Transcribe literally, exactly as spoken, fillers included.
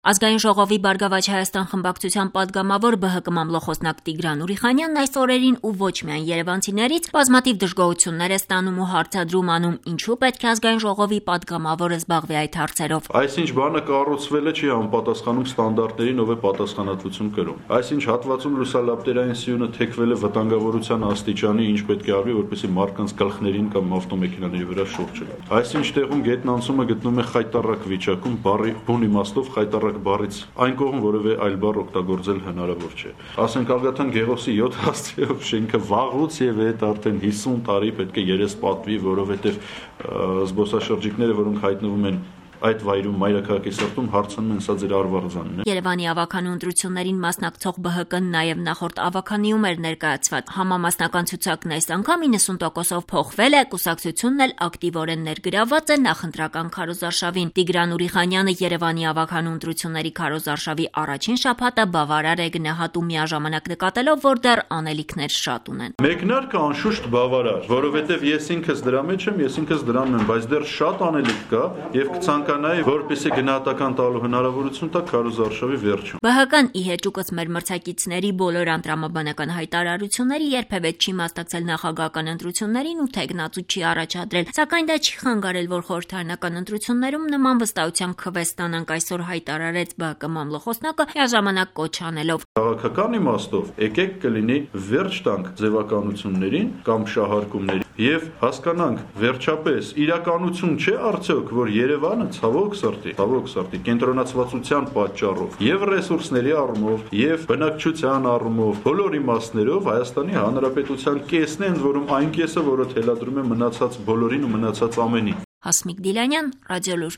Ազգային ժողովի Բարգավաճ Հայաստան խմբակցության պատգամավոր Բ Հ Կ մամլոխոսնակ Տիգրան Ուրիխանյանն այս օրերին ու ոչ միայն երևանցիներից բազմաթիվ դժգոհություններ է ստանում ու հարցադրում անում, ինչու պետք է Ազգային ժողովի պատգամավորը զբաղվի այդ հարցերով։ Այսինչ բանը կառուցվել է չի համապատասխանում ստանդարտներին, ով է պատասխանատվություն կրում։ Այսինչ հատվածում լուսալապտերային սյունը թեքվել է վտանգավորության աստիճանի, ինչ պետք է արվի, որպեսզի մարդկանց գլխներին կամ ավտոմեքենաների վրա շուրջ չգա։ Այսինչ տեղում գետն անցումը գտնում է խայտառակ վիճակում, բառի բուն իմաստով խայտառակ բառից այն կողմ որևէ այլ բառ օգտագործել հնարավոր չէ։ Ասենք Ալգաթան Գեղոսի յոթ աստիճանով շենքը վաղուց եւ այդ արդեն հիսուն տարի պետք է երես պատվի, որովհետեւ զբոսաշրջիկները, որոնք հայտնվում են այդ վայրում մայրաքաղաքի սրտում հարցնում են սա ձեր արվարձանն է։ Երևանի ավականու ընտրություններին մասնակցող Բ Հ Կ-ն նաև նախորդ ավականիում էր ներկայացված։ Համամասնական ցուցակն այս անգամ իննսուն տոկոսով փոխվել է, կուսակցությունն էլ ակտիվորեն ներգրաված է նախընտրական քարոզարշավին։ Տիգրան Ուրիխանյանը Երևանի ավականու ընտրությունների քարոզարշավի առաջին շաբաթը բավարար է գնահատում, միաժամանակ նկատելով, որ դեռ անելիքներ շատ ունեն։ Մեկնարկը անշուշտ բավարար, որովհետև ես ինքս դրա մեջ եմ, ես ինքս դրանում եմ, բայց դեռ շատ անելիք կա եւ կցանկանայի, որպեսզի գնահատական տալու հնարավորություն տա քարոզարշավի վերջում։ Բ Հ Կ-ն ի հեճուկս մեր մրցակիցների բոլոր անտրամաբանական հայտարարությունների երբևէ չի մասնակցել նախագահական ընտրություններին ու թեկնածու չի առաջադրել, սակայն դա չի խանգարել, որ խորհրդարանական ընտրություններում նման վստահությամբ քվե ստանանք, այսօր հայտարարեց Բ Հ Կ մամլոխոսնակը, միաժամանակ կոչ անելով։ Քաղաքական իմաստով եկեք կլինի վերջ տանք ձևականություններին կամ շահարկումներին եւ հասկանանք վերջապես իրականություն չէ արդյոք, որ Երևանը ցավոք սրտի, ցավոք սրտի կենտրոնացվածության պատճառով եւ ռեսուրսների առումով եւ բնակչության առումով բոլոր իմաստներով Հայաստանի Հանրապետության կեսն է, ընդ որում այն կեսը, որը թելադրում է մնացած բոլորին ու մնացած ամենին։ Հասմիկ Դիլանյան, Ռադիոլուր։